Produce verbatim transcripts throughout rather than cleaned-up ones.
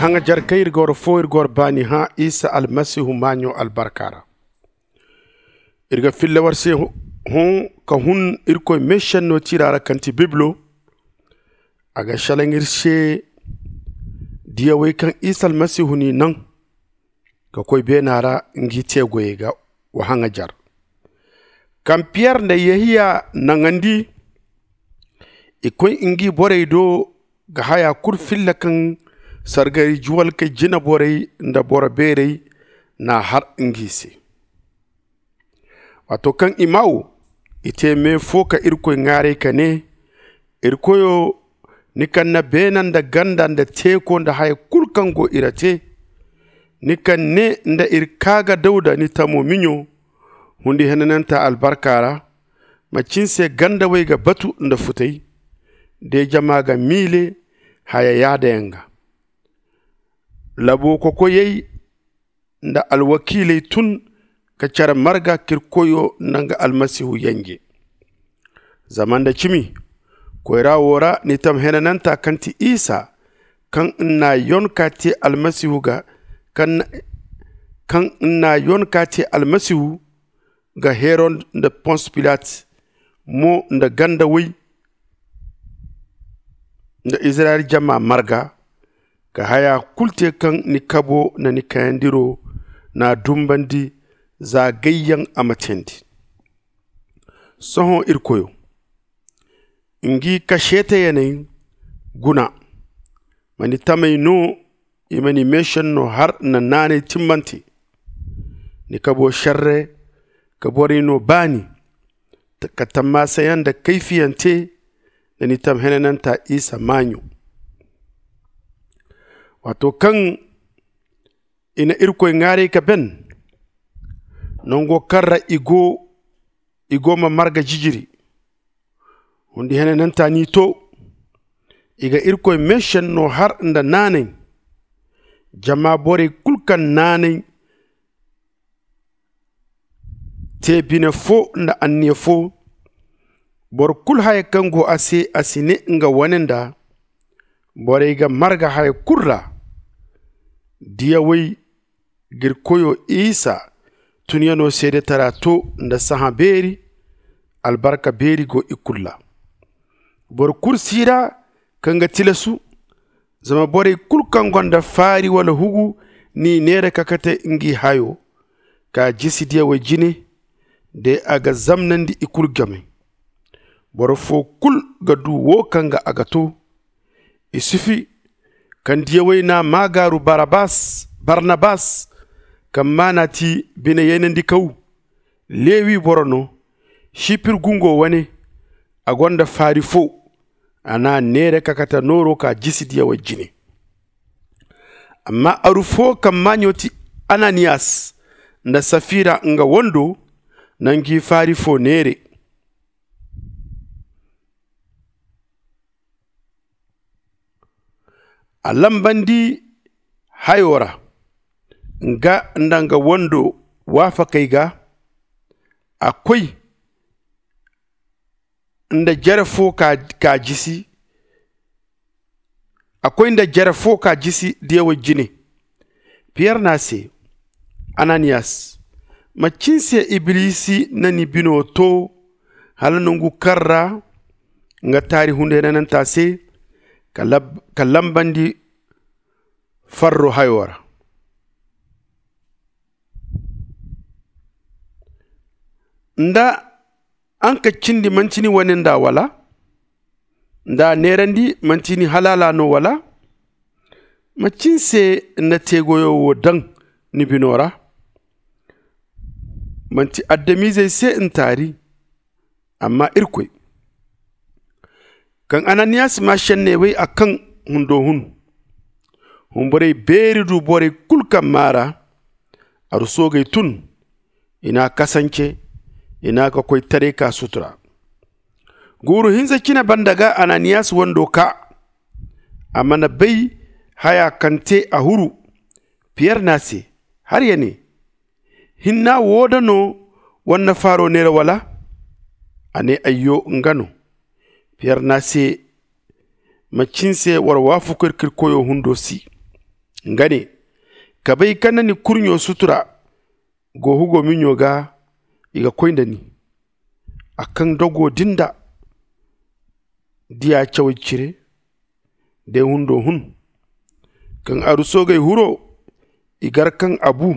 Haŋajar kaŋ iri ga war fo iri ga war baani hã isa almasihu maaɲo albarka ra. Iri ga filla war se hõ ka hun irkoy meesenno tiira ra kaŋ ti bibilo. A ga salaŋ iri se diyawey kaŋ isa almasihu n'i naŋ ka koy beena ra ngi te goyey ga. Wa haŋajar kaŋ piyer nda yehiya naŋandi. I koy ngi borey do ga haya kulu filla kaŋ sargari juwalkey jinaborey nda boro beerey n'a har ngi se. Waato kaŋ i maawo i te me fo ka irkoy ŋaaray ka ne, irkoyo, ni kaŋ na beena nda ganda nda teeko nda haya kulu kaŋ go i ra te, ni kaŋ ne nda iri kaa ga dawda ni tamo miɲo hundi henananta albarka ra, macin se gandawey ga batu nda futay de jama ga miile haya yaada yaŋ ga. Labo kokoyey nda alwakiiley tun ka care marga k'iri koyo nanga almasihu yanje. Zama nda cimi koyra wo ra ni tam henananta kaŋ ti isa, kaŋ n'a yon ka te almasihu ga kaŋ n'a yon ka te almasihu ga herod nda pons pilat mo nda ganda woy nda izirayel jama marga ka haya kulu te kaŋ ni kabo nda ni kayandiro n'a dumbandi za gayyaŋ a ma teendi. Sohõ iri koyo ngi kaseetayaney guna ma ni tamey no i ma ni meesenno har nda naanay timmante. Ni kabo serre ka borey no baani ka tammaasa yaŋ nda kayfiyaŋ te nda ni tam henananta isa maaɲo. Waato kaŋ i na irkoy ŋaaray ka ben nango kaŋ ra i go i go ma marga jijiri hundi henananta n'i to. I ga irkoy meesenno har nda naanay jama borey kulu kaŋ naanay te bine fo nda anniya fo. Boro kulu haya kaŋ go a se a si ne nga wane nda borey ga marga haya kulu ra. Diyawey g'iri koyo isa tunyano seedetara to nda sahã beeri. Albarka beeri go i kulu ra. Boro kulu si ra kaŋ ga tilasu. Zama borey kulu kaŋ gonda faari wala hugu n'i neera ka kate ngi hayo ka jisi diyawey jine. De a ga zamnandi i kulu game. Boro fo kulu ga du wo kaŋ ga a ga to. Isufi kaŋ diyawey n'a maagaaru barnabas kaŋ maana ti bine yaynandikaw. Lewi boro no sipir gungo wane. A gonda faari fo a n'a neera ka kate nooro ka jisi diyawey jine. Amma aru fo kaŋ maaɲo ti ananiyas nda safira nga wando na ngi faari fo neere. A lambandi hayo ra nga nda nga wando waafakey ga. A koy nda jere fo ka jisi a koy nda jere fo ka jisi diyawey jine. Piyer ne a se, ananiyas, macin se ibilisi na ni bino to hala nangu kaŋ ra nga taari hunday nananta se ka lambandi farro hayo ra? Nda a nga cindi manti ni wane nda wala? Nda a neerandi manti ni halaala no wala? Macin se ni na teegoyo wo daŋ ni bino ra? Manti adamizey se ni taari amma irkoy. Kaŋ ananiyas maa senney wey a kaŋ hundo hun. Hunborey beeri du borey kulu kaŋ maa ra aru soogey tun. I n'a kasance i n'a ka koy taray ka sutura. Guuru hinza cine banda ga ananiyas wando kaa. A mana bay haya kaŋ te a huru. Piyer ne a se, har ya ne, hinna wo da no wanna faaro neera wala? A ne, ayyo nga no. Piyer ne a se, macin se war waafaku iri ka iri koyo hundo si? Nga ne, ka bay kaŋ na ni kurɲo sutura go hugo miɲo ga, i ga koy nda ni. A kaŋ dogo din da diya cawey cire, day hundo hun. Kaŋ aru soogey huro, i gar kaŋ a bu.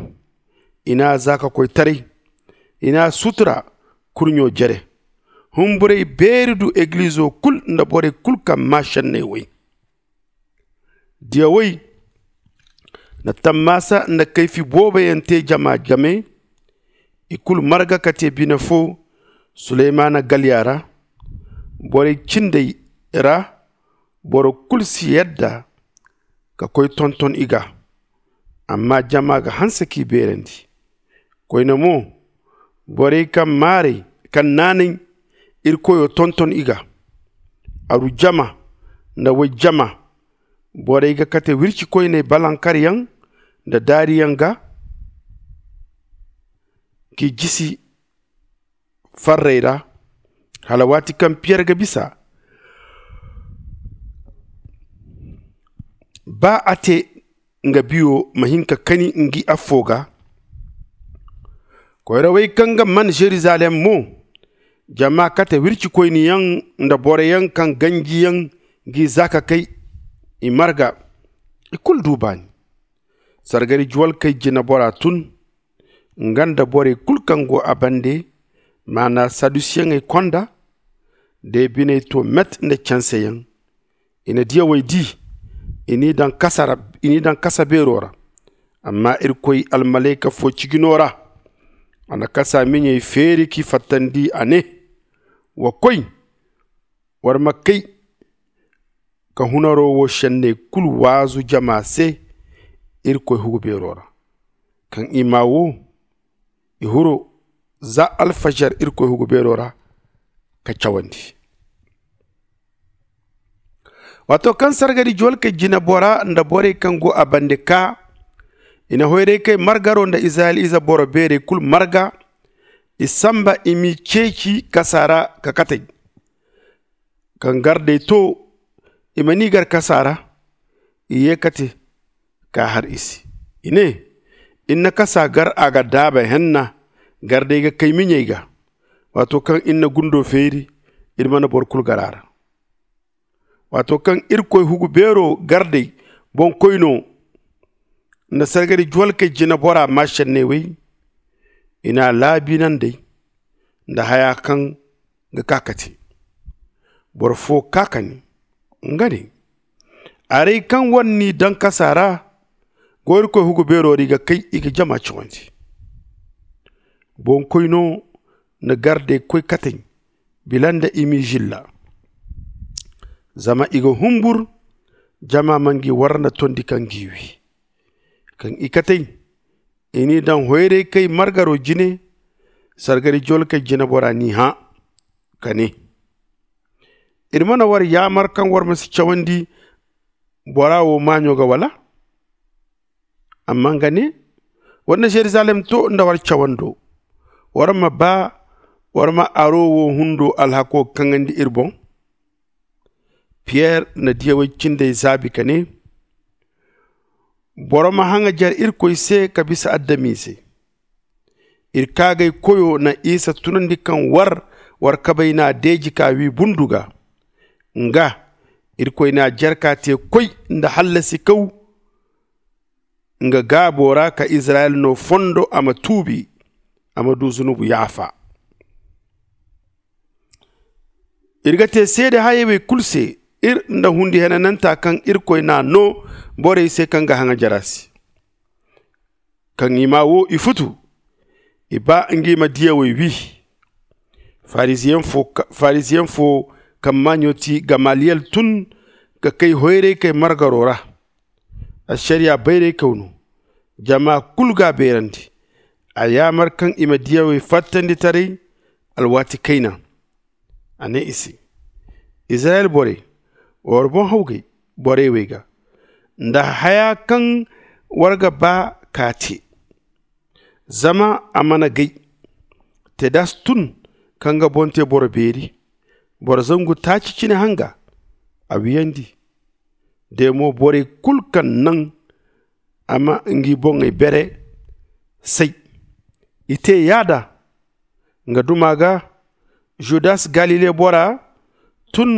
I n'a za ka koy taray. I n'a sutura kurɲo jere. Humburey beeri du egilizo kul nda borey kul kaŋ maa šenney woy. Diyawey na tammaasa nda kayfi booboyaŋ te jama game. I kulu marga ka te bine fo suleymaana galya ra. Borey cindey ra boro kulu si yadda ka koy tonton i ga. Amma jama ga hanse k'i beerandi. Koyne mo, borey kaŋ maarey kaŋ naanay iri koyo tonton i ga. Aru jama nda way jama, borey ga kate wirci koyney balankaryaŋ nda daariyaŋ ga k'i jisi farrey ra. Hala waati kaŋ piyer ga bisa ba a te nga biyo ma hin ka kani ngi affo ga. Koyrawey kaŋ ga man jerusalem mo, jama kate wirci koyniyaŋ nda boroyaŋ kaŋ ganjiyaŋ g'i za ka kay. I marga i kulu du baani. Sargari juwalkey jinabora tun, nga nda borey kulu kaŋ go a bande, maana sadusiyaŋey konda. Day biney to met nda canseyaŋ. I na diyawey di, i n'i daŋ kasa beero ra. Amma irkoy almalayka fo ciji no ra. A na kasa miɲey feeri k'i fattandi, a ne, wa koy, war ma kay ka hunaro wo senney kulu waazu jama se irkoy hugu beero ra. Kaŋ i maa wo, i huro za alfajar irkoy hugu beero ra ka cawandi. Waato kaŋ sargari juwalkey jinabora nda borey kaŋ go a bande kaa, i na hoyraykey margaro nda izirayel ize boro beerey kulu marga. I samba i m'i ceeci kasa ra ka katey. Kaŋ gardey to i ma n'i gar kasa ra, i ye ka te k'a har i se. I ne, iri na kasa gar a ga daaba henna. Gardey ga kay miɲey ga. Waato kaŋ iri na gundo feeri, iri mana boro kulu gar a ra. Waato kaŋ irkoy hugu beero gardey boŋkoyno nda sargari juwalkey jinabora maa senney wey, i n'a laabiinandey nda haya kaŋ ga kaa ka te. Boro fo kaa ka ne, nga ne, arey kaŋ war n'i daŋ kasa ra go irkoy hugu beero ra, i ga kay i ga jama cawandi. Boŋkoyno na gardey koy katey bila nda i m'i zilla. Zama i ga humbur jama ma ngi warra nda tondi kaŋ g'i wi. Kaŋ i katey, i n'i daŋ hoyraykey margaro jine. Sargari jolkey jinabora n'i hã ka ne, iri mana war yaamar kaŋ war ma si cawandi bora wo maaɲo ga wala? Amma nga ne, war na jerusalem to nda war cawando. War ma ba war ma aro wo hundo alhako kaŋandi iri boŋ. Piyer na diyawey cindey zaabi ka ne, boro ma haŋajer irkoy se ka bisa adamize. Iri kaagay koyo na isa tunandi kaŋ war war kabay n'a deeji k'a wi bundu ga. Nga irkoy n'a jerka te koy nda hallasi kaw. Nga gaabo ra ka izirayel no fondo a ma tuubi, a ma du zunubu yaafa. Iri ga te seede hayey wey kulu se, iri nda hundi henananta kaŋ irkoy n'a no borey se kaŋ ga haŋajer a se. Kaŋ i maa wo i futu, i ba ngi ma diyawey wi. Farisiyeŋ fo kaŋ maaɲo ti gamaliyel tun ka kay hoyraykey margaro ra. Ašariya bayray kaw no. Jama kulu g'a beerandi. A yaamar kaŋ i ma diyawey fattandi taray alwaati kayna. A ne i se, izirayel borey, war boŋ hawgay borey wey ga nda haya kaŋ war ga ba k'a te. Zama a mana gay. Tedas tun ka nga boŋ te boro beeri, boro zangu taaci cine hanga, a wiyandi. De mo borey kulu kaŋ naŋ a ma ngi boŋey bere say. I te yaada nga duma ga. Judas galile bora tun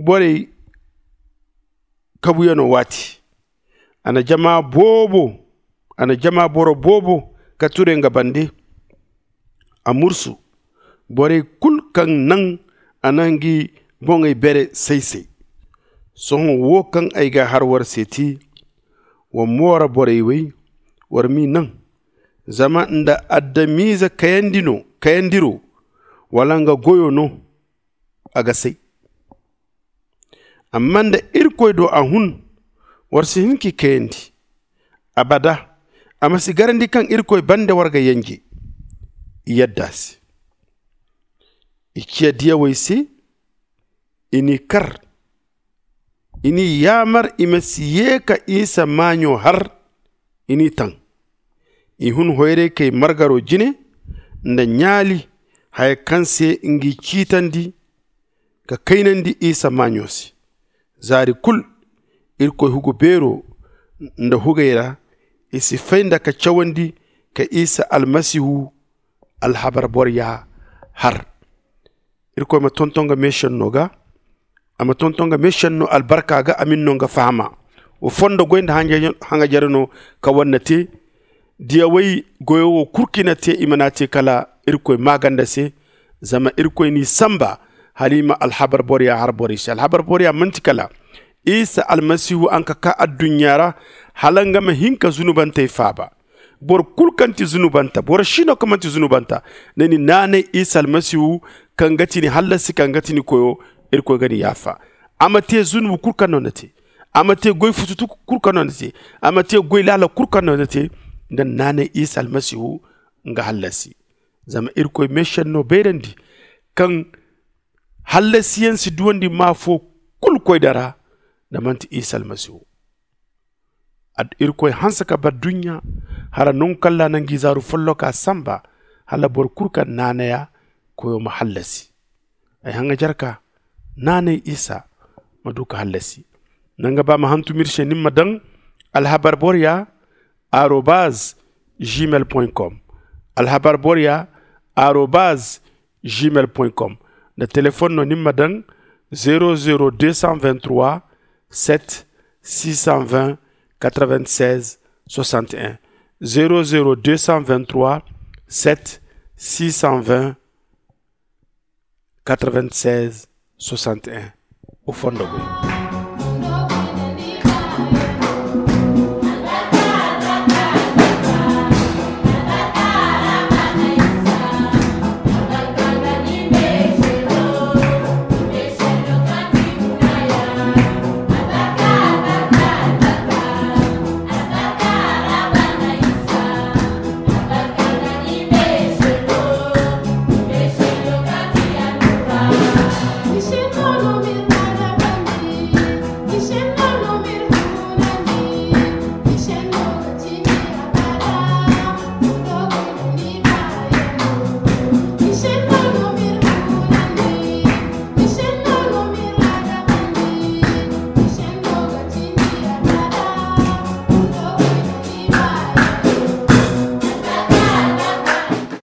borey kabuyaŋo waati. A na jama boobo a na jama boro boobo ka ture nga bande. A mursu borey kulu kaŋ naŋ a na ngi boŋey bere say-say. Sohõ wo kaŋ ay ga har war se ti, wa moora borey wey, war m'i naŋ. Zama nda adamize kayandi no kayandiro, wala nga goyo no, a ga say. Amma nda irkoy do a hun, war si hin k'i kayandi. Abada a ma si garandi kaŋ irkoy bande war ga yanje. I yadda se. I ciya diyawey se. I n'i kar. I n'i yaamar i ma si ye ka isa maaɲo har. I n'i taŋ. I hun hoyray kay margaro jine nda ɲaali haya kaŋ se ngi ciitandi ka kaynandi isa maaɲo se. Zaari kulu irkoy hugu beero nda hugey ra i si fay nda ka cawandi ka isa almasihu alhabar borya har. Irkoy ma tonton ga meesenno ga. A ma tonton ga meesenno albarka ga a ma ni no nga fahama. Wa fondo goy nda haŋajarano ka wanna te. Diyawey goyo wo kulu kaŋ i na te i mana te kala irkoy maaganda se. Zama irkoy n'i samba hala i ma alhabar borya har borey se alhabar borya manti kala isa almasihu a nga ka ka adduɲɲa ra hala nga ma hin ka zunubantey faaba. Boro kulu kaŋ ti zunubanta boro si no kaŋ manti zunubanta. Ni naanay isa almasihu kaŋ ga ti ni hallasi kaŋ ga ti ni koyo. Irkoy ga ni yaafa. A ma te zunubu kulu kaŋ no ni te. A ma te goy fututu kulu kaŋ no ni te. A ma te goy laala kulu kaŋ no ni te. Nda ni naanay isa almasihu nga hallasi. Zama irkoy meesenno bayrandi kaŋ hallasiyaŋ si duwandi maa fo kulu koy dara. Nda manti isa almasihu. Irkoy hanse ka bar duɲɲa hara nangu kaŋ ra na ngi zaaru folloka samba hala boro kulu kaŋ naanaya koyo ma hallasi. Ay haŋajarka naanay isa ma du ka hallasi. Nanga ba ma hantum iri se ni ma daŋ alhabar borya arobaz gmail point com. Alhabar borya arobaz gmail point com. Nda telefon no ni ma daŋ zero zero deux cent vingt-trois sept six cent vingt quatre-vingt-seize soixante et un. Zero zero deux cent vingt-trois sept six cent vingt quatre-vingt-seize soixante et un. O fondo boy.